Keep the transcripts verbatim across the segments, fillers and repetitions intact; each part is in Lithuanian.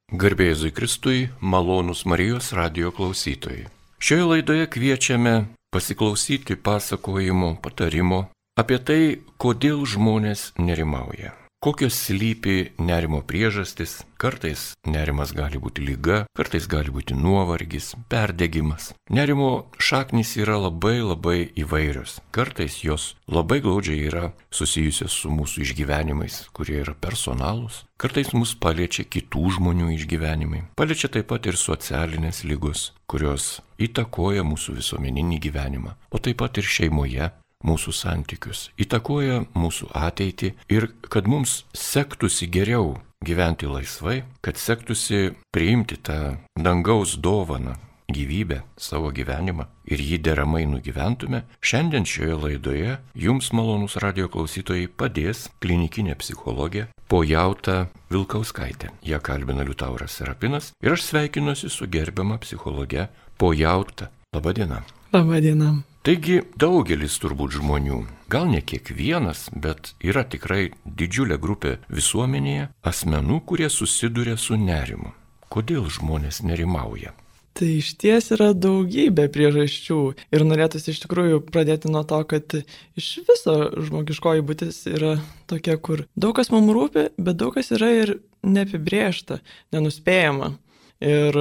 Garbė Jėzui Kristui, malonūs Marijos radijo klausytojai. Šioje laidoje kviečiame pasiklausyti pasakojimo, patarimo apie tai, kodėl žmonės nerimauja. Kokios slypi nerimo priežastis, kartais nerimas gali būti liga, kartais gali būti nuovargis, perdegimas. Nerimo šaknys yra labai labai įvairios. Kartais jos labai glaudžiai yra susijusios su mūsų išgyvenimais, kurie yra personalūs. Kartais mus paliečia kitų žmonių išgyvenimai. Paliečia taip pat ir socialinės ligos, kurios įtakoja mūsų visuomeninį gyvenimą, o taip pat ir šeimoje. Mūsų santykius, įtakoja mūsų ateitį ir kad mums sektųsi geriau gyventi laisvai, kad sektųsi priimti tą dangaus dovaną, gyvybę, savo gyvenimą ir jį deramai nugyventume, šiandien šioje laidoje jums, malonūs radijo klausytojai, padės klinikinė psichologė Pojauta Vilkauskaitė. Ją kalbina Liutauras Serapinas ir aš sveikinuosi su gerbiama psichologe Pojauta. Labadiena. Labadiena. Taigi daugelis turbūt žmonių, gal ne kiekvienas, bet yra tikrai didžiulė grupė visuomenėje asmenų, kurie susiduria su nerimu. Kodėl žmonės nerimauja? Tai iš ties yra daugybė priežasčių ir norėtųsi iš tikrųjų pradėti nuo to, kad iš viso žmogiškoji būtis yra tokia, kur daug kas mums rūpi, bet daug kas yra ir neapibrėžta, nenuspėjama. Ir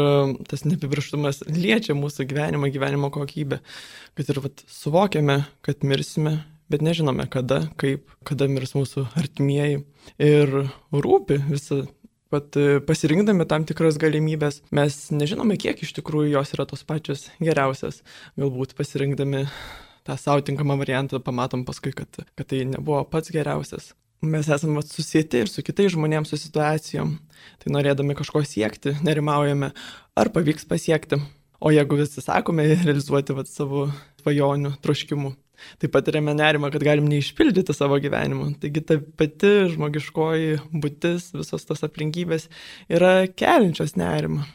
tas neapibrėžtumas liečia mūsų gyvenimą, gyvenimo kokybę, kad ir vat, suvokiame, kad mirsime, bet nežinome kada, kaip, kada mirs mūsų artimieji. Ir rūpi visą, pat pasirinkdami tam tikras galimybės, mes nežinome, kiek iš tikrųjų jos yra tos pačios geriausias. Galbūt pasirinkdami tą savo tinkamą variantą pamatom paskui, kad, kad tai nebuvo pats geriausias. Mes esame susieti ir su kitais žmonėms, su situacijom. Tai norėdami kažko siekti, nerimaujame, ar pavyks pasiekti. O jeigu visi sakome realizuoti vat, savo svajonių, troškimų, tai patiriame nerimą, kad galim neišpildyti savo gyvenimo. Taigi ta pati žmogiškoji būtis, visos tos aplinkybės yra keliančios nerimą.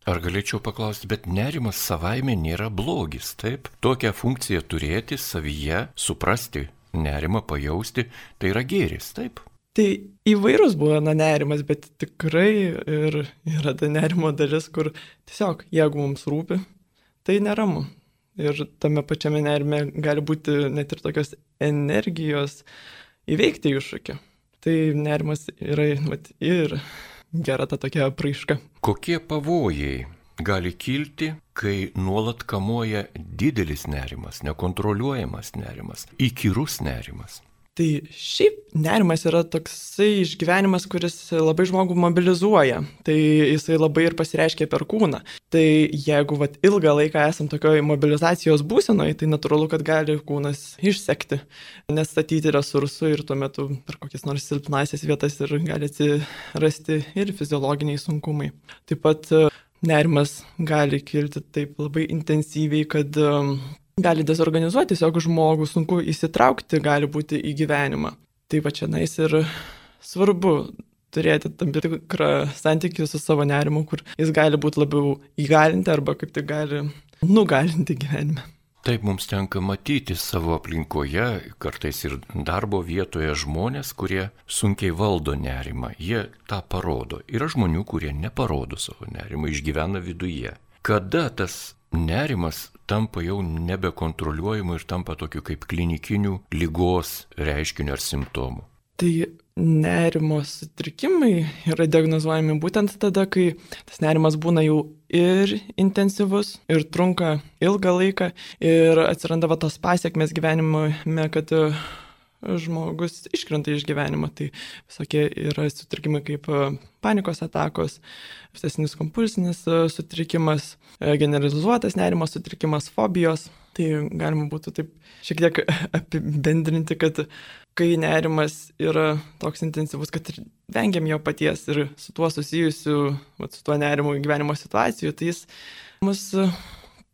Ar galėčiau paklausti, bet nerimas savaime nėra blogis, taip? Tokią funkciją turėti savyje, suprasti nerimą pajausti, tai yra gėris, taip? Tai įvairus būna nerimas, bet tikrai ir yra ta nerimo dalis, kur tiesiog, jeigu mums rūpi, tai neramu. Ir tame pačiame nerime gali būti net ir tokios energijos įveikti iššūkį. Tai nerimas yra vat, ir gera ta tokia apraiška. Kokie pavojai gali kilti, kai nuolat kamuoja didelis nerimas, nekontroliuojamas nerimas, įkyrus nerimas? Tai šiaip nerimas yra toksai išgyvenimas, kuris labai žmogų mobilizuoja. Tai jisai labai ir pasireiškia per kūną. Tai jeigu vat, ilgą laiką esam tokioj mobilizacijos būsenoje, tai natūralu, kad gali kūnas išsekti, nestatyti resursų ir tuo metu per kokias nors silpnasias vietas ir gali atsirasti ir fiziologiniai sunkumai. Taip pat nerimas gali kilti taip labai intensyviai, kad um, gali dezorganizuoti tiesiog žmogų, sunku įsitraukti gali būti į gyvenimą. Tai va čia nais ir svarbu turėti tam tikrą santykį su savo nerimu, kur jis gali būti labiau įgalinti arba kaip tai gali nugalinti gyvenime. Taip mums tenka matyti savo aplinkoje, kartais ir darbo vietoje žmonės, kurie sunkiai valdo nerimą. Jie tą parodo. Yra žmonių, kurie neparodo savo nerimą, išgyvena viduje. Kada tas nerimas tampa jau nebekontroliuojamu ir tampa tokiu kaip klinikinių ligos reiškiniu ar simptomu? Tai nerimo sutrikimai yra diagnozuojami būtent tada, kai tas nerimas būna jau ir intensyvus, ir trunka ilgą laiką, ir atsiranda va tos pasiekmes gyvenime, kad žmogus iškrenta iš gyvenimo. Tai visokie yra sutrikimai kaip panikos atakos, obsesinis kompulsinis sutrikimas, generalizuotas nerimo sutrikimas, fobijos. Tai galima būtų taip šiek tiek apibendrinti, kad kai nerimas yra toks intensyvus, kad ir vengiam jo paties ir su tuo susijusiu, vat, su tuo nerimu gyvenimo situacijų, tai jis mus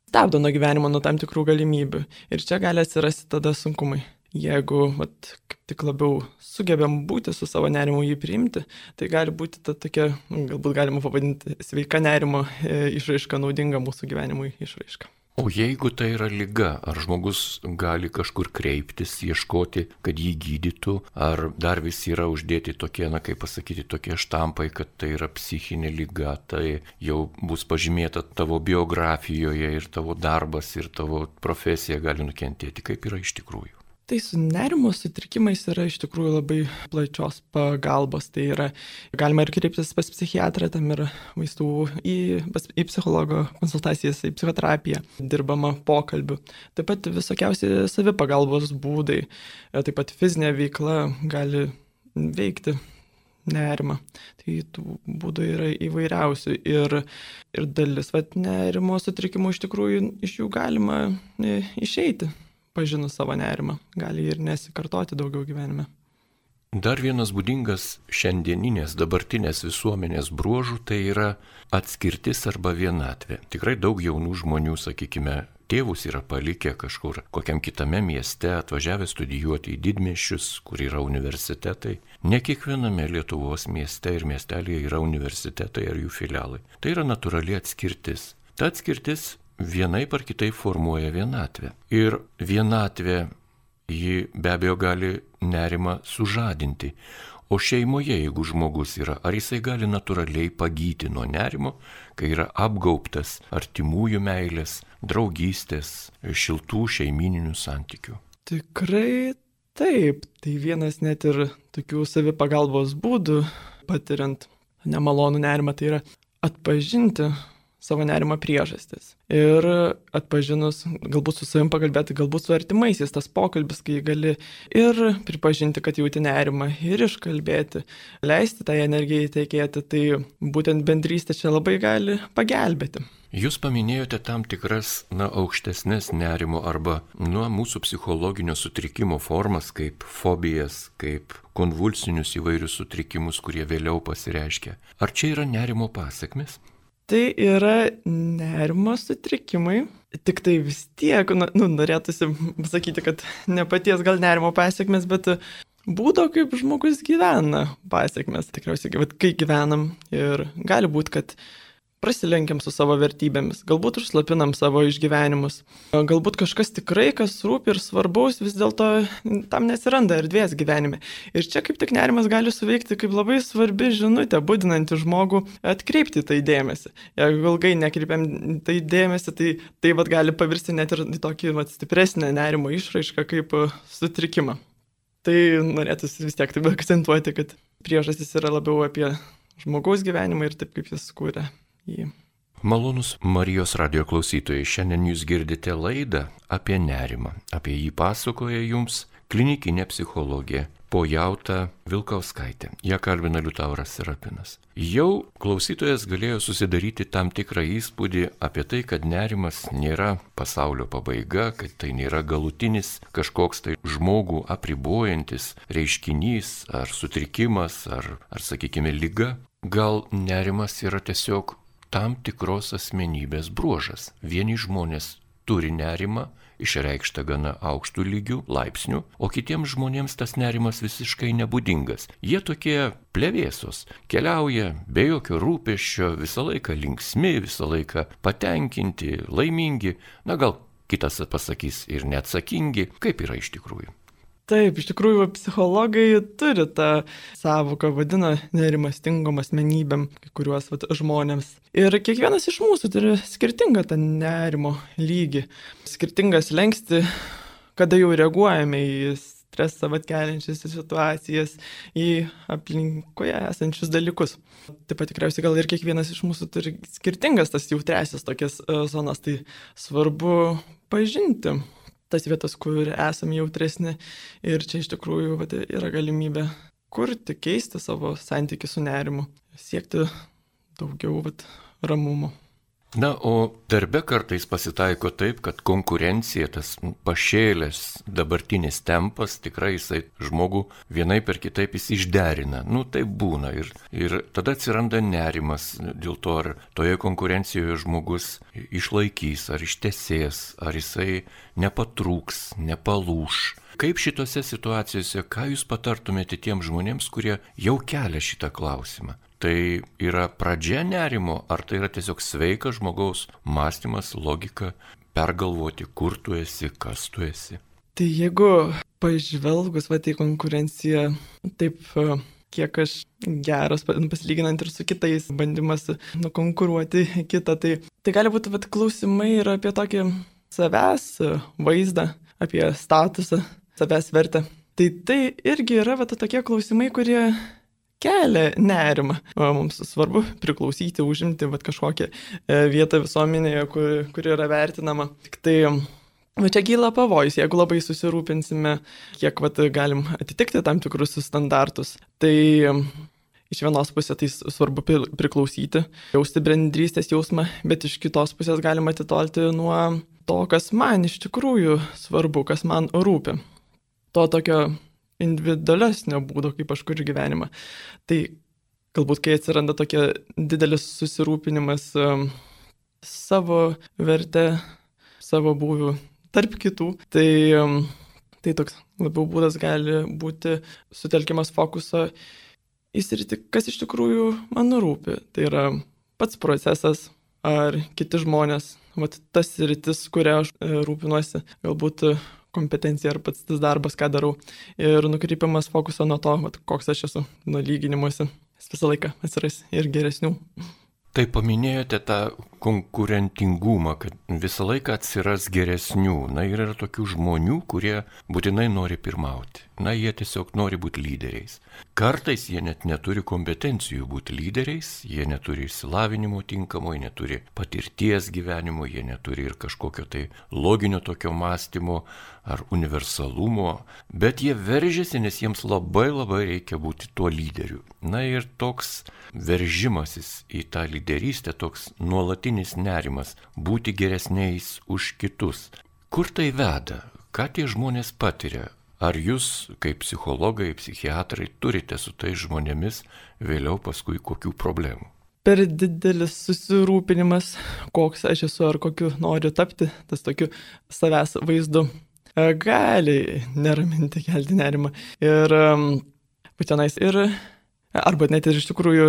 stabdo nuo gyvenimo, nuo tam tikrų galimybių. Ir čia gali atsirasti tada sunkumai. Jeigu vat, kaip tik labiau sugebėm būti su savo nerimu jį priimti, tai gali būti ta tokia, galbūt galima pavadinti sveika nerimo išraiška, naudinga mūsų gyvenimui išraiška. O jeigu tai yra liga, ar žmogus gali kažkur kreiptis, ieškoti, kad jį gydytų, ar dar vis yra uždėti tokie, na kaip pasakyti, tokie štampai, kad tai yra psichinė liga, tai jau bus pažymėta tavo biografijoje ir tavo darbas ir tavo profesija gali nukentėti, kaip yra iš tikrųjų. Tai su nerimo sutrikimais yra iš tikrųjų labai plačios pagalbos. Tai yra, galima ir kreiptis pas psichiatrą, tam yra vaistų į, pas, į psichologo konsultacijas, į psichoterapiją, dirbama pokalbių. Taip pat visokiausi savipagalbos būdai, taip pat fizinė veikla gali veikti nerimą. Tai tų būdų yra įvairiausių ir, ir dalis vat, nerimo sutrikimų iš tikrųjų iš jų galima išeiti. Pažinus savo nerimą, gali ir nesikartoti daugiau gyvenime. Dar vienas būdingas šiandieninės, dabartinės visuomenės bruožų tai yra atskirtis arba vienatvė. Tikrai daug jaunų žmonių, sakykime, tėvus yra palikę kažkur kokiam kitame mieste, atvažiavę studijuoti į didmiesčius, kur yra universitetai. Ne kiekviename Lietuvos mieste ir miestelėje yra universitetai ar jų filialai. Tai yra natūrali atskirtis. Ta atskirtis vienaip ar kitaip formuoja vienatvę. Ir vienatvė, ji be abejo gali nerimą sužadinti. O šeimoje, jeigu žmogus yra, ar jisai gali natūraliai pagyti nuo nerimo, kai yra apgaubtas artimųjų meilės, draugystės, šiltų šeimininių santykių? Tikrai taip. Tai vienas net ir tokių savipagalbos būdų, patiriant nemalonų nerimą, tai yra atpažinti savo nerimo priežastis. Ir atpažinus, galbūt su savim pakalbėti, galbūt su artimaisiais, tas pokalbis, kai gali ir pripažinti, kad jauti nerimą, ir iškalbėti, leisti tai energijai tekėti, tai būtent bendrystė čia labai gali pagelbėti. Jūs paminėjote tam tikras, na, aukštesnės nerimo arba nuo mūsų psichologinio sutrikimo formas, kaip fobijas, kaip konvulsinius įvairius sutrikimus, kurie vėliau pasireiškia. Ar čia yra nerimo pasekmės? Tai yra nerimo sutrikimai, tik tai vis tiek, nu, norėtųsi pasakyti, kad ne paties gal nerimo pasiekmes, bet būdo, kaip žmogus gyvena pasiekmes. Tikriausiai, kai gyvenam ir gali būti, kad prasilenkiam su savo vertybėmis, galbūt užslapinam savo išgyvenimus, galbūt kažkas tikrai, kas rūpi ir svarbaus, vis dėlto tam nesiranda erdvės gyvenime. Ir čia kaip tik nerimas gali suveikti kaip labai svarbi žinutė, budinanti žmogų atkreipti tai dėmesį. Jeigu ilgai nekreipiam tai dėmesį, tai tai vat gali pavirsti net ir tokį vat stipresnę nerimo išraišką kaip sutrikimą. Tai norėtųsi vis tiek taip akcentuoti, kad priežastis yra labiau apie žmogaus gyvenimą ir taip, kaip jis kūrė. Jį. Malonus Marijos radijo klausytojai, šiandien jūs girdite laidą apie nerimą. Apie jį pasakoja jums klinikinė psichologė Pojauta Vilkauskaitė. Ją kalbina Liutauras Serapinas. Jau klausytojas galėjo susidaryti tam tikrą įspūdį apie tai, kad nerimas nėra pasaulio pabaiga, kad tai nėra galutinis kažkoks tai žmogų apribojantis reiškinys ar sutrikimas ar, ar sakykime, liga. Gal nerimas yra tiesiog tam tikros asmenybės bruožas. Vieni žmonės turi nerimą, išreikštą gana aukštų lygių, laipsnių, o kitiems žmonėms tas nerimas visiškai nebūdingas. Jie tokie plevėsos, keliauja be jokio rūpesčio, visą laiką linksmi, visą laiką patenkinti, laimingi, na gal kitas pasakys ir neatsakingi, kaip yra iš tikrųjų. Taip, iš tikrųjų, psichologai turi tą sąvoką, vadina nerimastingom asmenybėm, kai kuriuos vat, žmonėms. Ir kiekvienas iš mūsų turi skirtingą tą nerimo lygį, skirtingas lengsti, kada jau reaguojame į stresą vat, keliančias situacijas, į aplinkoje esančius dalykus. Taip pat tikriausiai gal ir kiekvienas iš mūsų turi skirtingas tas jautriasias tokias uh, zonas, tai svarbu pažinti tas vietas, kur esame jautresni ir čia iš tikrųjų vat, yra galimybė kurti, keisti savo santykį su nerimu, siekti daugiau vat, ramumo. Na, o darbe kartais pasitaiko taip, kad konkurencija, tas pašėlęs dabartinis tempas, tikrai jisai žmogų vienai per kitaip jis išderina. Nu, taip būna ir, ir tada atsiranda nerimas dėl to, ar toje konkurencijoje žmogus išlaikys, ar ištesės, ar jisai nepatrūks, nepalūš. Kaip šitose situacijose, ką jūs patartumėte tiems žmonėms, kurie jau kelia šitą klausimą? tai yra pradžia nerimo, ar tai yra tiesiog sveikas žmogaus mąstymas, logika, pergalvoti, kur tu esi, kas tu esi? Tai jeigu pažvelgus va, į konkurenciją, taip kiek aš geras pasilyginant ir su kitais, bandymas nukonkuruoti kitą, tai, tai gali būti va, klausimai ir apie tokį savęs vaizdą, apie statusą, savęs vertę. Tai tai irgi yra va, tokie klausimai, kurie kelia nerimą. O, mums svarbu priklausyti, užimti va, kažkokią vietą visuomenėje, kuri, kuri yra vertinama. Tik tai va, čia kyla pavojus, jeigu labai susirūpinsime, kiek va, galim atitikti tam tikrus standartus. Tai iš vienos pusės tai svarbu priklausyti, jausti bendrystės jausmą, bet iš kitos pusės galima atitolti nuo to, kas man iš tikrųjų svarbu, kas man rūpi. To tokio individualesnio būdo, kaip aš kuriu gyvenimą. Tai galbūt, kai atsiranda tokia didelis susirūpinimas um, savo vertę, savo būvių tarp kitų, tai, um, tai toks labiau būdas gali būti sutelkimas fokuso į sritį, kas iš tikrųjų man rūpi. Tai yra pats procesas ar kiti žmonės, vat tas sritis, kurią aš e, rūpinuosi, galbūt kompetencija ar pats tas darbas, ką darau. Ir nukreipimas fokuso nuo to, vat, koks aš esu, nuo lyginimuose. Jis visą laiką atsiras ir geresnių. Tai paminėjote tą konkurentingumą, kad visą laiką atsiras geresnių. Na ir yra tokių žmonių, kurie būtinai nori pirmauti. Na, jie tiesiog nori būti lyderiais. Kartais jie net neturi kompetencijų būti lyderiais, jie neturi išsilavinimo tinkamo, jie neturi patirties gyvenimo, jie neturi ir kažkokio tai loginio tokio mąstymo ar universalumo, bet jie veržiasi, nes jiems labai labai reikia būti tuo lyderiu. Na ir toks veržimasis į tą lyderystę, toks nuolatinis nerimas, būti geresniais už kitus. Kur tai veda? Ką tie žmonės patiria? Ar jūs, kaip psichologai, psichiatrai, turite su tais žmonėmis vėliau paskui kokių problemų? Per didelis susirūpinimas, koks aš esu ar kokiu noriu tapti, tas tokiu savęs vaizdu, gali neraminti, kelti nerimą. Ir pačianais ir, arba net ir iš tikrųjų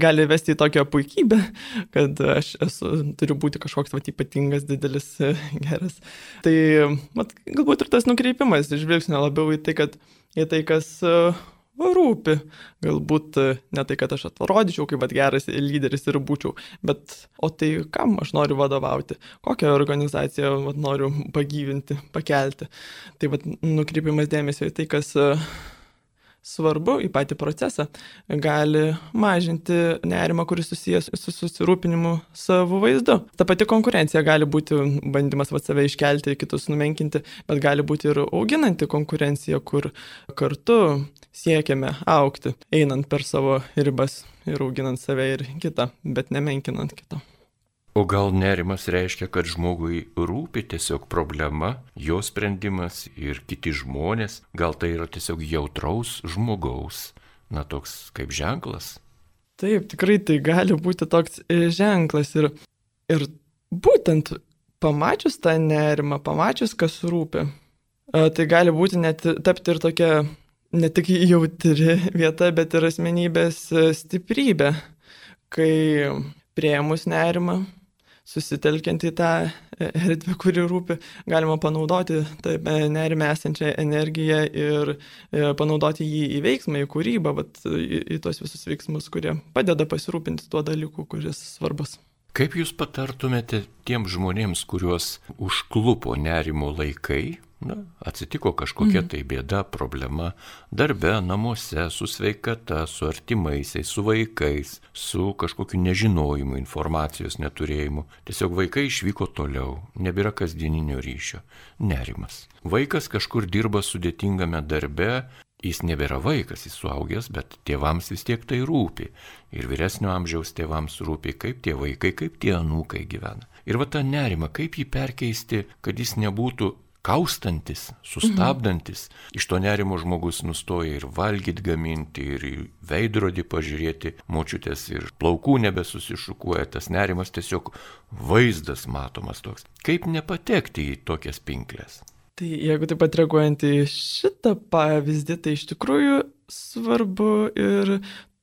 gali vesti į tokią puikybę, kad aš esu, turiu būti kažkoks vat, ypatingas, didelis, geras. Tai vat, galbūt ir tas nukreipimas žvilgsnio labiau į tai, kad į tai, kas rūpi. Galbūt ne tai, kad aš atrodyčiau kaip vat, geras lyderis ir būčiau, bet o tai kam aš noriu vadovauti, kokią organizaciją vat, noriu pagyvinti, pakelti. Tai vat, nukreipimas dėmesio į tai, kas svarbu, į patį procesą, gali mažinti nerimą, kuris susijęs su susirūpinimu savo vaizdu. Ta pati konkurencija gali būti bandymas vat, save iškelti, kitus numenkinti, bet gali būti ir auginanti konkurencija, kur kartu siekiame augti, einant per savo ribas ir auginant save ir kitą, bet nemenkinant kitą. O gal nerimas reiškia, kad žmogui rūpi tiesiog problema, jo sprendimas ir kiti žmonės, gal tai yra tiesiog jautraus žmogaus, na toks kaip ženklas? Taip, tikrai tai gali būti toks ženklas ir, ir būtent pamačius tą nerimą, pamačius, kas rūpi, tai gali būti net tapti ir tokia ne tik jautri vieta, bet ir asmenybės stiprybė, kai priėmus nerimą, susitelkiant į tą erdvę, kuri rūpi, galima panaudoti nerime esančią energiją ir panaudoti jį į veiksmą, į kūrybą, vat, į, į tos visus veiksmus, kurie padeda pasirūpinti tuo dalyku, kuris svarbus. Kaip jūs patartumėte tiems žmonėms, kuriuos užklupo nerimo laikai? Na, atsitiko kažkokia tai bėda, problema darbe, namuose, su sveikata, su artimaisiais, su vaikais, su kažkokiu nežinojimu, informacijos neturėjimu. Tiesiog vaikai išvyko toliau, nebėra kasdieninio ryšio. Nerimas. Vaikas kažkur dirba sudėtingame darbe, jis nebėra vaikas, jis suaugęs, bet tėvams vis tiek tai rūpi. Ir vyresnio amžiaus tėvams rūpi, kaip tie vaikai, kaip tie anūkai gyvena. Ir va tą nerimą, kaip jį perkeisti, kad jis nebūtų kaustantis, sustabdantis. Mhm. Iš to nerimo žmogus nustoja ir valgyti, gaminti, ir į veidrodį pažiūrėti, močiutės ir plaukų nebesusišukuoja, tas nerimas tiesiog vaizdas matomas toks. Kaip nepatekti į tokias pinklės? Tai jeigu taip pat reaguojant į šitą pavyzdį, tai iš tikrųjų svarbu ir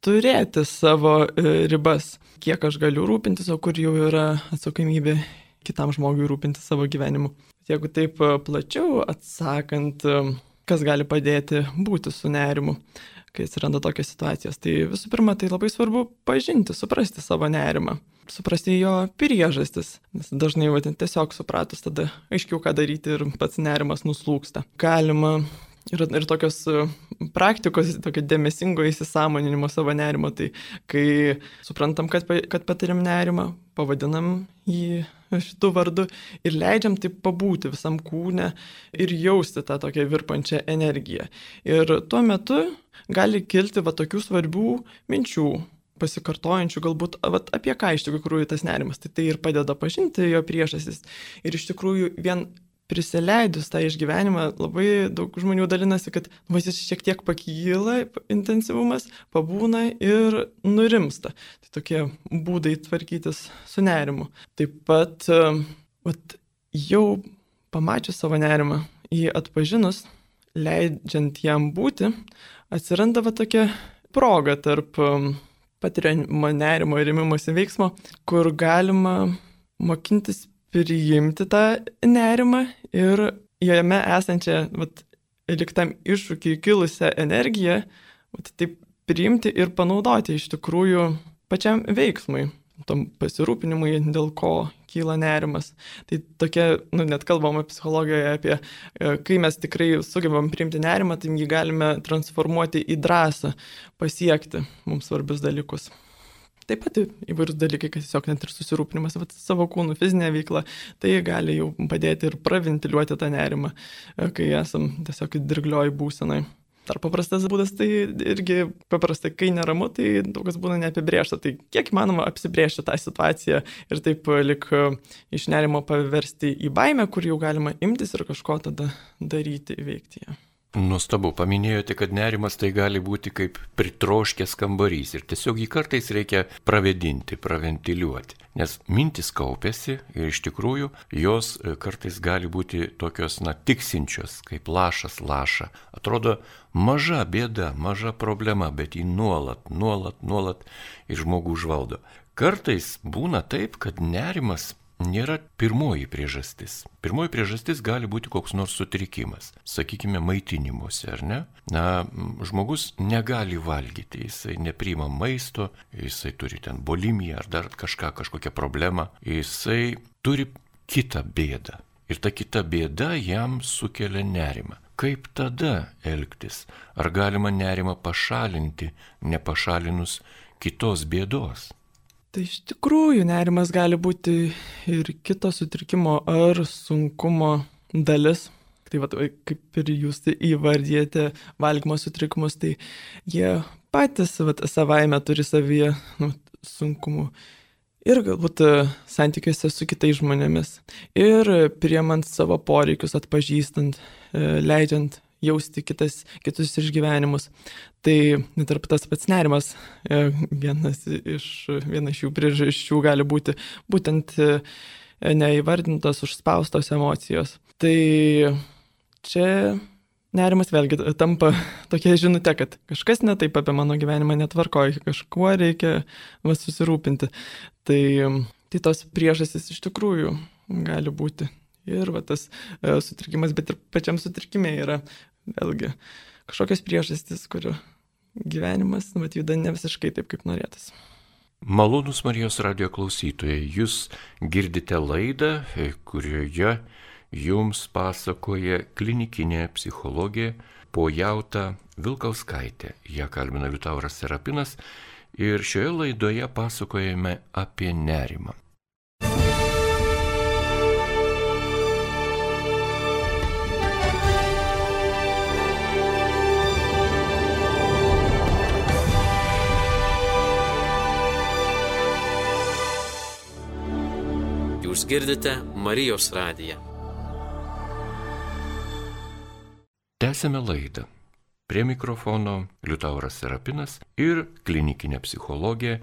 turėti savo ribas, kiek aš galiu rūpintis, o kur jau yra atsakomybė kitam žmogui rūpintis savo gyvenimu. Jeigu taip plačiau atsakant, kas gali padėti būti su nerimu, kai atsiranda tokios situacijos, tai visų pirma, tai labai svarbu pažinti, suprasti savo nerimą, suprasti jo priežastis, nes dažnai va, tiesiog supratus tada aiškiau, ką daryti ir pats nerimas nuslūksta. Galima ir, ir tokios praktikos, tokio dėmesingo įsisąmoninimo savo nerimo, tai kai suprantam, kad, kad patiriam nerimą, pavadinam jį šitų vardu ir leidžiam taip pabūti visam kūne ir jausti tą tokią virpančią energiją. Ir tuo metu gali kilti va tokių svarbių minčių, pasikartojančių galbūt va, apie ką iš tikrųjų tas nerimas. Tai tai ir padeda pažinti jo priežastis. Ir iš tikrųjų vien prisileidus tą išgyvenimą labai daug žmonių dalinasi, kad va, jis šiek tiek pakyla intensyvumas, pabūna ir nurimsta. Tai tokie būdai tvarkytis su nerimu. Taip pat va, jau pamačius savo nerimą, jį atpažinus, leidžiant jam būti, atsiranda va tokia proga tarp patiriamo nerimo ir ėmimosi veiksmo, kur galima mokintis priimti tą nerimą ir jame esančią, vat, liktam iššūkiai kilusią energiją, vat, taip priimti ir panaudoti iš tikrųjų pačiam veiksmui, tom pasirūpinimui, dėl ko kyla nerimas. Tai tokia, nu, net kalbama psichologijoje apie, kai mes tikrai sugebam priimti nerimą, tai jį galime transformuoti į drąsą, pasiekti mums svarbius dalykus. Taip pat įvairūs dalykai, kad tiesiog net ir susirūpinimas vat, savo kūnų fizinė veikla, tai gali jau padėti ir praventiliuoti tą nerimą, kai esam tiesiog dirglioj būsenai. Dar paprastas būdas, tai irgi paprastai, kai neramu, tai daug kas būna neapibrėžta. Tai kiek įmanoma apsibrėžti tą situaciją ir taip lik iš nerimo paversti į baimę, kur jau galima imtis ir kažko tada daryti, įveikti ją. Nuostabu, paminėjote, kad nerimas tai gali būti kaip pritroškęs kambarys ir tiesiog jį kartais reikia pravėdinti, praventiliuoti, nes mintis kaupiasi ir iš tikrųjų jos kartais gali būti tokios, na, tiksinčios, kaip lašas laša. Atrodo maža bėda, maža problema, bet jį nuolat, nuolat, nuolat ir žmogų užvaldo. Kartais būna taip, kad nerimas nėra pirmoji priežastis. Pirmoji priežastis gali būti koks nors sutrikimas, sakykime, maitinimuose, ar ne? Na, žmogus negali valgyti, jisai nepriima maisto, jisai turi ten bulimiją ar dar kažką, kažkokią problemą, jisai turi kitą bėdą. Ir ta kita bėda jam sukelia nerimą. Kaip tada elgtis? Ar galima nerimą pašalinti, nepašalinus kitos bėdos? Tai iš tikrųjų nerimas gali būti ir kito sutrikimo ar sunkumo dalis. Tai va, kaip ir jūs įvardijate valgymo sutrikimus, tai jie patys va, savaime turi savyje nu, sunkumų. Ir galbūt santykiuose su kitais žmonėmis. Ir priemant savo poreikius, atpažįstant, leidžiant jausti kitas, kitus išgyvenimus. Tai net ir tas pats nerimas, vienas iš, viena iš jų priežasčių gali būti būtent neįvardintos, užspaustos emocijos. Tai čia nerimas vėlgi tampa tokia žinutė, kad kažkas ne taip apie mano gyvenimą netvarkoja, kažkuo reikia va, susirūpinti. Tai, tai tos priežastys iš tikrųjų gali būti. Ir va, tas e, sutrikimas, bet ir pačiam sutrikime yra vėlgi kažkokios priežastys, kurių gyvenimas va, juda ne visiškai taip, kaip norėtas. Malonūs Marijos radijo klausytojai, jūs girdite laidą, kurioje jums pasakoja klinikinė psichologė Pojauta Vilkauskaitė. Ją kalbina Liutauras Serapinas ir šioje laidoje pasakojame apie nerimą. Jūs girdite Marijos radiją. Tęsėme laidą. Prie mikrofono Liutauras Serapinas ir klinikinė psichologė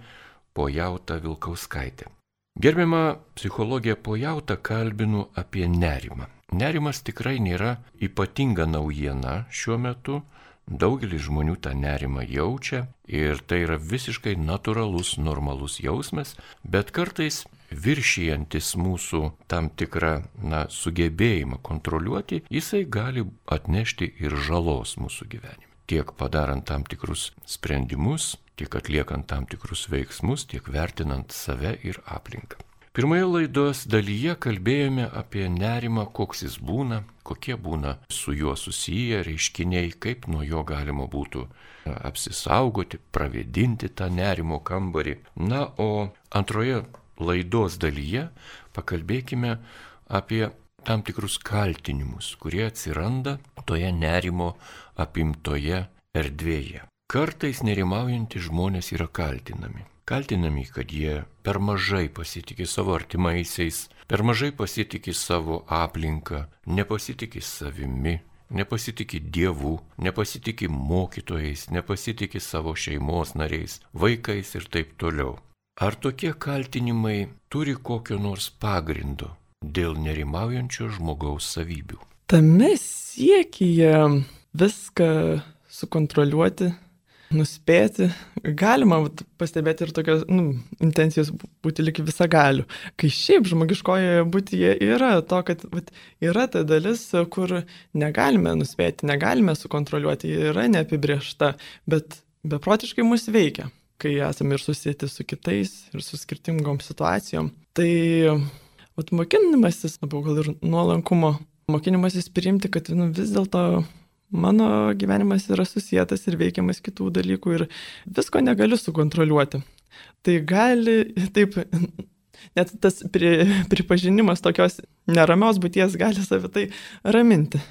Pojauta Vilkauskaitė. Gerbiama psichologė Pojauta kalbinu apie nerimą. Nerimas tikrai nėra ypatinga naujiena šiuo metu, Daugelis žmonių tą nerimą jaučia ir tai yra visiškai natūralus, normalus jausmas, bet kartais viršijantis mūsų tam tikrą na, sugebėjimą kontroliuoti, jisai gali atnešti ir žalos mūsų gyvenime. Tiek padarant tam tikrus sprendimus, tiek atliekant tam tikrus veiksmus, tiek vertinant save ir aplinką. Pirmoje laidos dalyje kalbėjome apie nerimą, koks jis būna, kokie būna su juo susiję reiškiniai, kaip nuo jo galima būtų apsisaugoti, pravėdinti tą nerimo kambarį. Na, o antroje laidos dalyje pakalbėkime apie tam tikrus kaltinimus, kurie atsiranda toje nerimo apimtoje erdvėje. Kartais nerimaujantys žmonės yra kaltinami. Kaltinami, kad jie per mažai pasitikė savo artimaisiais, per mažai pasitikė savo aplinką, nepasitikė savimi, nepasitikė Dievu, nepasitikė mokytojais, nepasitikė savo šeimos nariais, vaikais ir taip toliau. Ar tokie kaltinimai turi kokio nors pagrindo dėl nerimaujančio žmogaus savybių? Tame siekyje viską sukontroliuoti, nuspėti, galima pastebėti ir tokios nu, intencijos būti lyg visagalių. Kai šiaip žmogiškoje būtyje yra to, kad vat, yra ta dalis, kur negalime nuspėti, negalime sukontroliuoti, yra neapibriešta, bet beprotiškai mus veikia, kai esame ir susijęti su kitais ir su skirtingom situacijom. Tai vat, mokinimasis, labiau gal ir nuolankumo, mokinimasis priimti, kad nu, vis dėlto mano gyvenimas yra susijęs ir veikiamas kitų dalykų ir visko negaliu sukontroliuoti. Tai gali, taip, net tas pri, pripažinimas tokios neramios būties gali savitai raminti.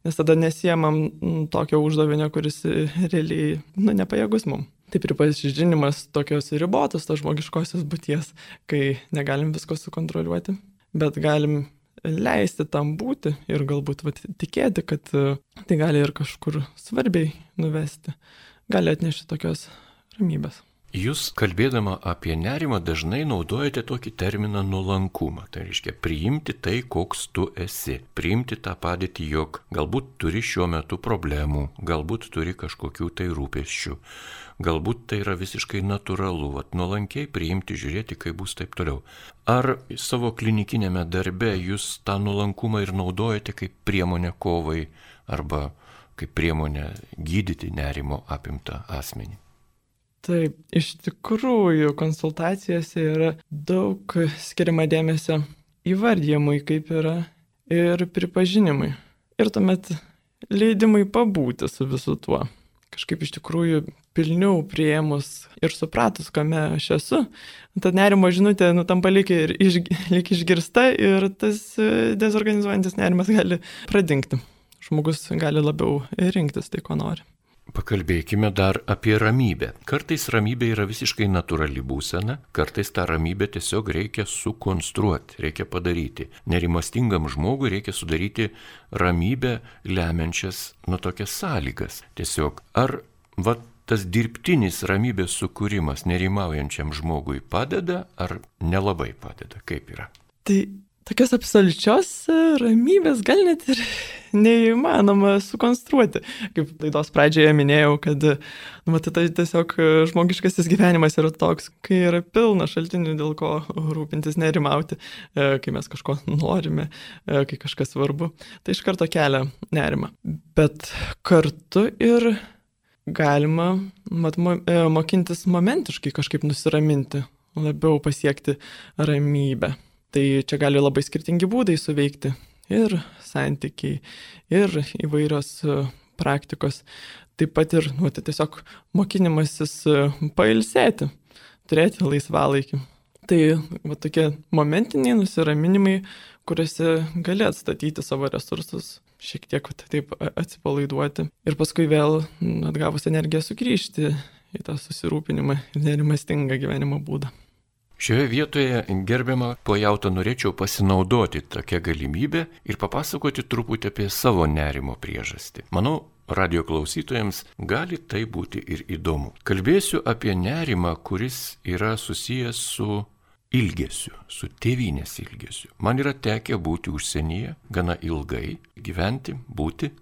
Nes tada nesiemam tokio uždavinio, kuris realiai nu, nepajėgus mum. Tai pripažinimas tokios ribotos, tos žmogiškosios būties, kai negalim visko sukontroliuoti, bet galim leisti tam būti ir galbūt vat, tikėti, kad tai gali ir kažkur svarbiai nuvesti, gali atnešti tokios ramybės. Jūs kalbėdama apie nerimą dažnai naudojate tokį terminą nuolankumą. Tai reiškia priimti tai, koks tu esi. Priimti tą padėtį, jog galbūt turi šiuo metu problemų, galbūt turi kažkokių tai rūpesčių. Galbūt tai yra visiškai natūralu, vat, nuolankiai priimti, žiūrėti, kaip bus taip toliau. Ar savo klinikinėme darbe jūs tą nuolankumą ir naudojate kaip priemonę kovai arba kaip priemonę gydyti nerimo apimtą asmenį? Taip, iš tikrųjų konsultacijose yra daug skiriama dėmesio įvardyjimui, kaip yra, ir pripažinimui. Ir tuomet leidimui pabūti su visu tuo. Kažkaip iš tikrųjų pilniau priėmus ir supratus, kame aš esu, ta nerimo žinutė nu, tampa lyg ir iš, lyg išgirsta ir tas dezorganizuojantis nerimas gali pradingti. Žmogus gali labiau rinktis tai, ko nori. Pakalbėkime dar apie ramybę. Kartais ramybė yra visiškai natūrali būsena, kartais tą ramybę tiesiog reikia sukonstruoti, reikia padaryti. Nerimastingam žmogui reikia sudaryti ramybę lemiančias nu tokias sąlygas. Tiesiog ar va, tas dirbtinis ramybės sukūrimas nerimaujančiam žmogui padeda ar nelabai padeda? Kaip yra? Tai tokios absoliučios ramybės gal net ir neįmanoma sukonstruoti. Kaip laidos pradžioje minėjau, kad nu, tai tiesiog žmogiškasis gyvenimas yra toks, kai yra pilna šaltinių, dėl ko rūpintis, nerimauti, kai mes kažko norime, kai kažkas svarbu. Tai iš karto kelia nerimą. Bet kartu ir galima mat, mokintis momentiškai kažkaip nusiraminti, labiau pasiekti ramybę. Tai čia gali labai skirtingi būdai suveikti. Ir santykiai, ir įvairios praktikos. Taip pat ir nu, tai tiesiog mokinimasis pailsėti, turėti laisvalaikį. Tai va, tokie momentiniai nusiraminimai, kuriuose gali atstatyti savo resursus, šiek tiek va, taip atsipalaiduoti. Ir paskui vėl atgavus energiją sugrįžti į tą susirūpinimą ir nerimastingą gyvenimo būdą. Šioje vietoje, gerbiama pojauta, norėčiau pasinaudoti tokią galimybę ir papasakoti truputį apie savo nerimo priežastį. Manau, radio klausytojams gali tai būti ir įdomu. Kalbėsiu apie nerimą, kuris yra susijęs su ilgesiu, su tėvynės ilgesiu. Man yra tekę būti užsienyje gana ilgai, gyventi, būti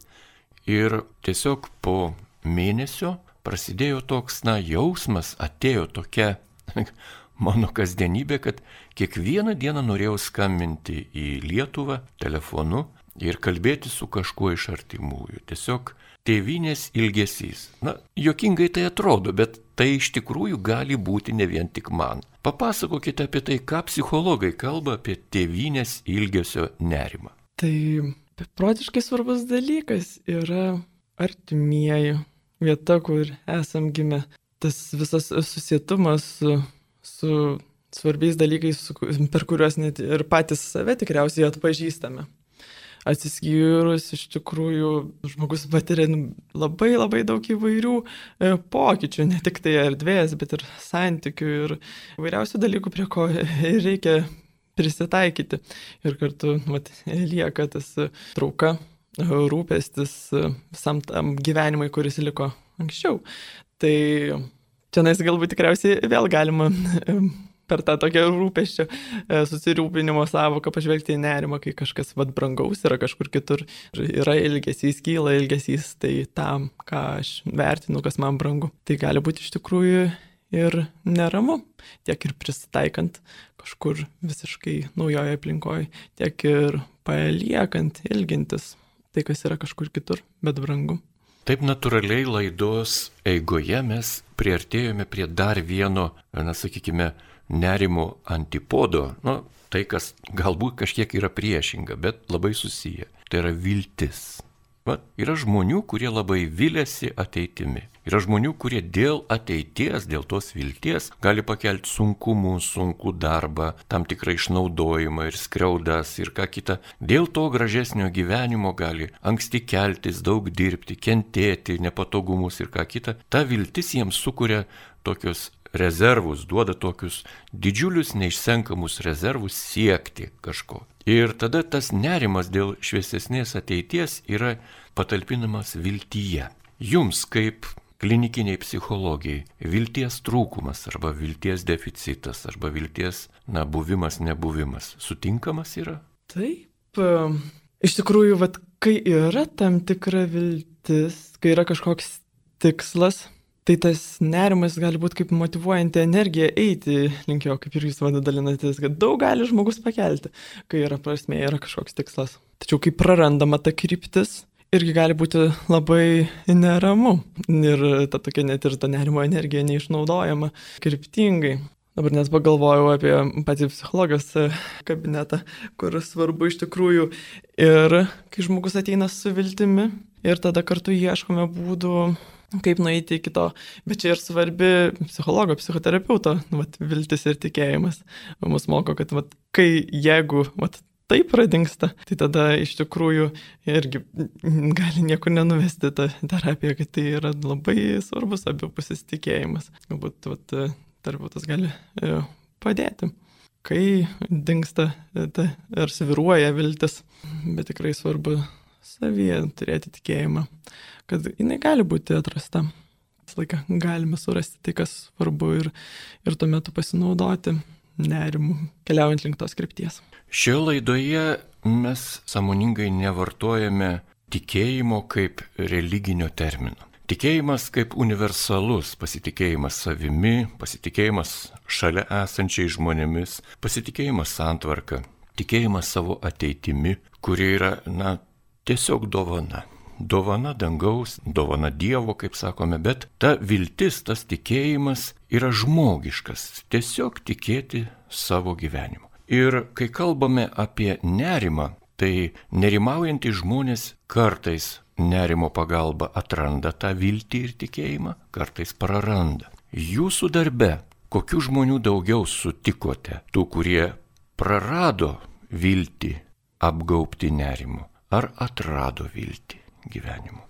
ir tiesiog po mėnesio prasidėjo toks, na, jausmas, atėjo tokia mano kasdienybė, kad kiekvieną dieną norėjau skambinti į Lietuvą telefonu ir kalbėti su kažkuo iš artimųjų. Tiesiog tėvynės ilgesys. Na, juokingai tai atrodo, bet tai iš tikrųjų gali būti ne vien tik man. Papasakokite apie tai, ką psichologai kalba apie tėvynės ilgesio nerimą. Tai beprotiškai svarbus dalykas yra artimieji, vieta, kur esam gimę. Tas visas susietumas su, su svarbiais dalykais, su, per kuriuos net ir patys save tikriausiai atpažįstame. Atsiskyrus iš tikrųjų žmogus patiria labai labai daug įvairių e, pokyčių, ne tik tai erdvės, bet ir santykių ir įvairiausių dalykų, prie ko reikia prisitaikyti. Ir kartu vat, lieka tas trauka, rūpestis visam tam gyvenimui, kuris liko anksčiau. Tai čia galbūt tikriausiai vėl galima per tą tokią rūpesčio susirūpinimo savoką pažvelgti į nerimą, kai kažkas vat brangaus yra kažkur kitur. Yra ilgesys, kyla ilgesys, tai tam, ką aš vertinu, kas man brangu. Tai gali būti iš tikrųjų ir neramu, tiek ir prisitaikant kažkur visiškai naujoje aplinkoje, tiek ir paliekant, ilgintis tai, kas yra kažkur kitur, bet brangu. Taip natūraliai laidos eigoje mes priartėjome prie dar vieno, na sakykime, nerimo antipodo, nu, tai, kas galbūt kažkiek yra priešinga, bet labai susiję. Tai yra viltis. Va, yra žmonių, kurie labai viliasi ateitimi. Yra žmonių, kurie dėl ateities, dėl tos vilties gali pakelti sunkumų, sunkų darbą, tam tikrą išnaudojimą ir skriaudas ir ką kita. Dėl to gražesnio gyvenimo gali anksti keltis, daug dirbti, kentėti, nepatogumus ir ką kita. Ta viltis jiems sukuria tokius rezervus, duoda tokius didžiulius neišsenkamus rezervus siekti kažko. Ir tada tas nerimas dėl šviesesnės ateities yra patalpinamas viltyje. Jums kaip klinikiniai psichologijai vilties trūkumas arba vilties deficitas arba vilties, na, buvimas, nebuvimas sutinkamas yra? Taip. Iš tikrųjų, vat, kai yra tam tikra viltis, kai yra kažkoks tikslas, tai tas nerimas gali būti kaip motyvuojanti energija eiti link jo, kaip ir jūs vada dalinatės, kad daug gali žmogus pakelti, kai yra prasmė, yra kažkoks tikslas. Tačiau kai prarandama ta kryptis, irgi gali būti labai neramu ir ta tokia net ir ta nerimo energija neišnaudojama kryptingai. Dabar nes pagalvojau apie patį psichologijos kabinetą, kur svarbu iš tikrųjų ir kai žmogus ateina su viltimi ir tada kartu ieškome būdų, kaip nueiti iki to, bet čia ir svarbi psichologo, psichoterapeuto vat, viltis ir tikėjimas. Mus moko, kad vat, kai jeigu vat, taip pradingsta, tai tada iš tikrųjų irgi gali niekur nenuvesti ta terapija, kad tai yra labai svarbus abipusis tikėjimas. Galbūt vat, terapeutas gali padėti, kai dingsta ta, ar sviruoja viltis, bet tikrai svarbu savyje turėti tikėjimą, kad jinai gali būti atrasta. Visą laiką galime surasti tai, kas svarbu ir, ir tuo metu pasinaudoti nerimu, keliaujant link tos krypties. Šioje laidoje mes sąmoningai nevartojame tikėjimo kaip religinio termino. Tikėjimas kaip universalus, pasitikėjimas savimi, pasitikėjimas šalia esančiais žmonėmis, pasitikėjimas santvarka, tikėjimas savo ateitimi, kuri yra, na, tiesiog dovana. Dovana dangaus, dovana Dievo, kaip sakome, bet ta viltis, tas tikėjimas yra žmogiškas, tiesiog tikėti savo gyvenimu. Ir kai kalbame apie nerimą, tai nerimaujantys žmonės kartais nerimo pagalba atranda tą viltį ir tikėjimą, kartais praranda. Jūsų darbe, kokių žmonių daugiau sutikote, tų, kurie prarado viltį apgaubti nerimu, ar atrado viltį gyvenimu?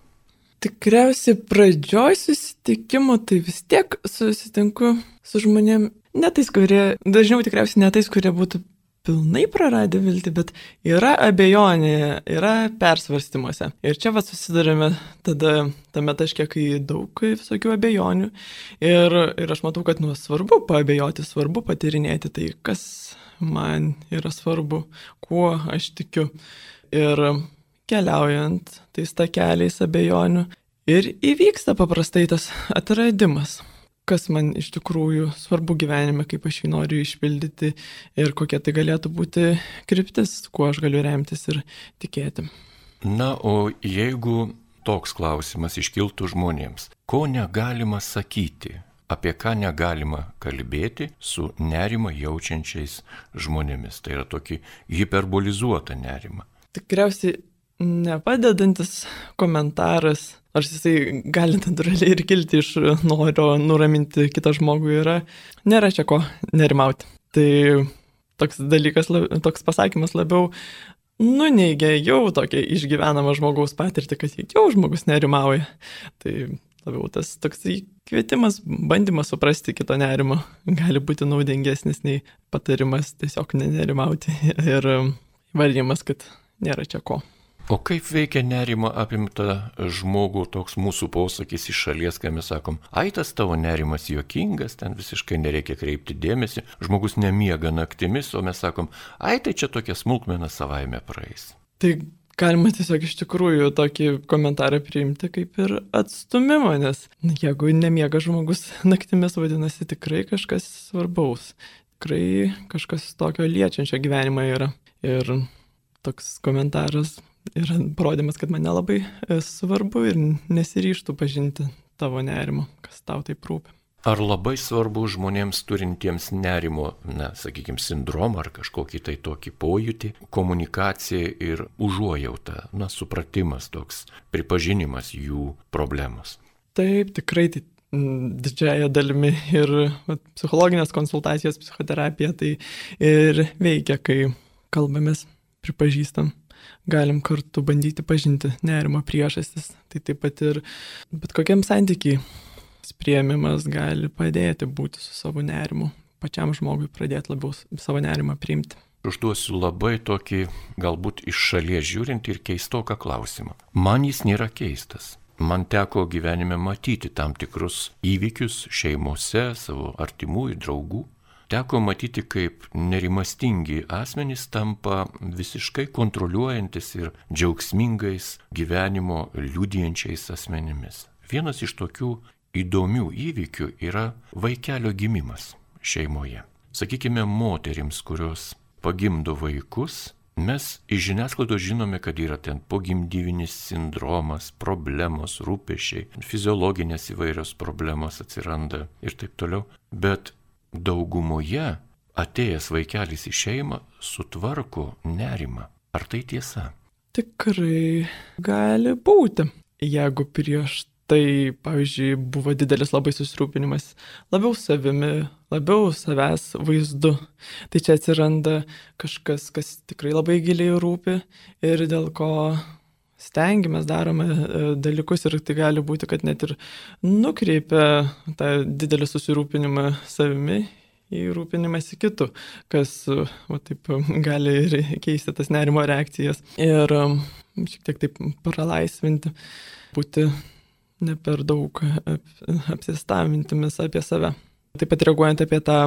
Tikriausiai pradžioj susitikimo tai vis tiek susitinku su žmonėm, ne tais, kurie, dažniau tikriausiai ne tais, kurie būtų pilnai praradę viltį, bet yra abejonė, yra persvarstymuose. Ir čia va susidarėme tada tame taške, kai daug visokių abejonių. Ir, ir aš matau, kad nu, svarbu paabejoti, svarbu patyrinėti tai, kas man yra svarbu, kuo aš tikiu. Ir keliaujant tais takeliais abejonių Ir įvyksta paprastai tas atradimas, kas man iš tikrųjų svarbu gyvenime, kaip aš jį noriu išpildyti ir kokia tai galėtų būti kryptis, kuo aš galiu remtis ir tikėti. Na, o jeigu toks klausimas iškiltų žmonėms, ko negalima sakyti, apie ką negalima kalbėti su nerimą jaučiančiais žmonėmis, tai yra tokį hiperbolizuotą nerimą. Tikriausiai nepadedantis komentaras, nors jisai gali natūraliai ir kilti iš noro nuraminti kitą žmogų, yra, nėra čia ko nerimauti. Tai toks dalykas, toks pasakymas labiau nuneigia jau tokia išgyvenama žmogaus patirtį, kad jau žmogus nerimauja. Tai labiau tas toks kvietimas, bandymas suprasti kito nerimą gali būti naudingesnis nei patarimas tiesiog nenerimauti ir įvardymas, kad nėra čia ko. O kaip veikia nerimo apimta žmogų toks mūsų posakis iš šalies, kai mes sakom, ai tas tavo nerimas juokingas, ten visiškai nereikia kreipti dėmesį, žmogus nemiega naktimis, o mes sakom, ai tai čia tokia smulkmena savaime praeis. Tai galima tiesiog iš tikrųjų tokį komentarą priimti kaip ir atstumimą, nes jeigu nemiega žmogus naktimis, vadinasi tikrai kažkas svarbaus, tikrai kažkas tokio liečiančio gyvenimą yra. Ir toks komentaras yra parodymas, kad man nelabai svarbu ir nesiryštų pažinti tavo nerimo, kas tau taip rūpi. Ar labai svarbu žmonėms turintiems nerimo, na, sakykime, sindromą ar kažkokį tai tokį pojūtį, komunikacija ir užuojauta, na, supratimas toks, pripažinimas jų problemos? Taip, tikrai tai didžiąją dalimi ir vat, psichologinės konsultacijos, psichoterapija tai ir veikia, kai kalbamės, pripažįstam. Galim kartu bandyti pažinti nerimo priežastis. Tai taip pat ir bet kokiam santykiai priėmimas gali padėti būti su savo nerimu, pačiam žmogui pradėti labiau savo nerimą priimti. Užduosiu labai tokį, galbūt iš šalies žiūrint ir keistoką klausimą. Man jis nėra keistas. Man teko gyvenime matyti tam tikrus įvykius šeimose, savo artimų ir draugų. Teko matyti, kaip nerimastingi asmenys tampa visiškai kontroliuojantis ir džiaugsmingais gyvenimo liudijančiais asmenimis. Vienas iš tokių įdomių įvykių yra vaikelio gimimas šeimoje. Sakykime, moterims, kurios pagimdo vaikus, mes iš žiniasklaidos žinome, kad yra ten pogimdyvinis sindromas, problemos, rūpesčiai, fiziologinės įvairios problemos atsiranda ir taip toliau. Bet daugumoje atėjęs vaikelis į šeimą sutvarko nerimą. Ar tai tiesa? Tikrai gali būti. Jeigu prieš tai, pavyzdžiui, buvo didelis labai susirūpinimas labiau savimi, labiau savęs vaizdu, tai čia atsiranda kažkas, kas tikrai labai giliai rūpi ir dėl ko stengiamės, darome dalykus ir tai gali būti, kad net ir nukreipia tą didelį susirūpinimą savimi į rūpinimąsi kitu, kas va, taip, gali ir keisti tas nerimo reakcijas ir šiek tiek taip pralaisvinti, būti ne per daug apsistavintimis apie save. Taip pat reaguojant apie tą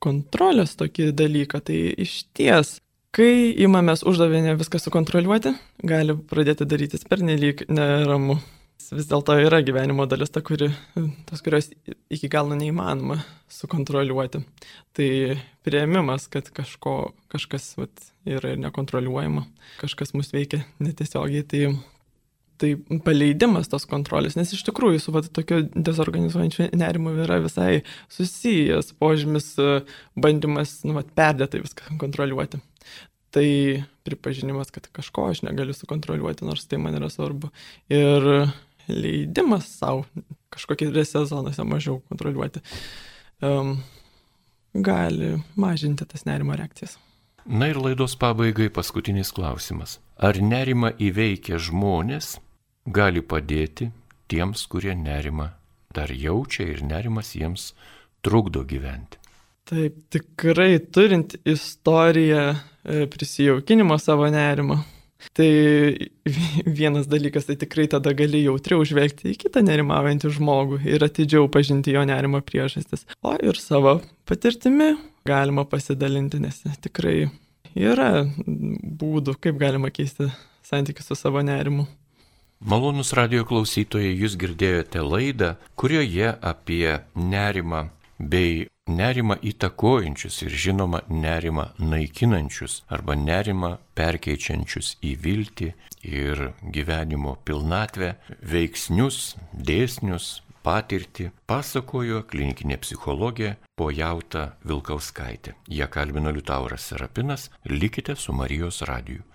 kontrolės tokį dalyką, tai iš ties, kai imamės uždavinę viską sukontroliuoti, gali pradėti darytis pernelyg neramu. Vis dėlto yra gyvenimo dalis, ta, kuri, tos, kurios iki galo neįmanoma sukontroliuoti. Tai priėmimas, kad kažko, kažkas vat, yra ir nekontroliuojama, kažkas mus veikia netiesiogiai, tai, tai paleidimas tos kontrolės, nes iš tikrųjų su vat, tokio dezorganizuojančiu nerimu yra visai susijęs požymis bandymas nu, vat, perdėtai viską kontroliuoti. Tai pripažinimas, kad kažko aš negaliu sukontroliuoti, nors tai man yra svarbu. Ir leidimas savo kažkokiose zonose mažiau kontroliuoti um, gali mažinti tas nerimo reakcijas. Na ir laidos pabaigai paskutinis klausimas. Ar nerimą įveikę žmonės gali padėti tiems, kurie nerimą dar jaučia ir nerimas jiems trukdo gyventi? Taip, tikrai turint istoriją prisijaukinimo savo nerimo, tai vienas dalykas, tai tikrai tada gali jautriau žvelgti į kitą nerimaujantį žmogų ir atidžiau pažinti jo nerimo priežastis. O ir savo patirtimi galima pasidalinti, nes tikrai yra būdų, kaip galima keisti santykius su savo nerimu. Malonūs radio klausytojai, jūs girdėjote laidą, kurioje apie nerimą bei nerimą įtakojančius ir žinoma nerimą naikinančius arba nerimą perkeičiančius į viltį ir gyvenimo pilnatvę veiksnius, dėsnius, patirtį pasakojo klinikinė psichologė Pojauta Vilkauskaitė. Ją kalbino Liutauras Serapinas. Likite su Marijos radiju.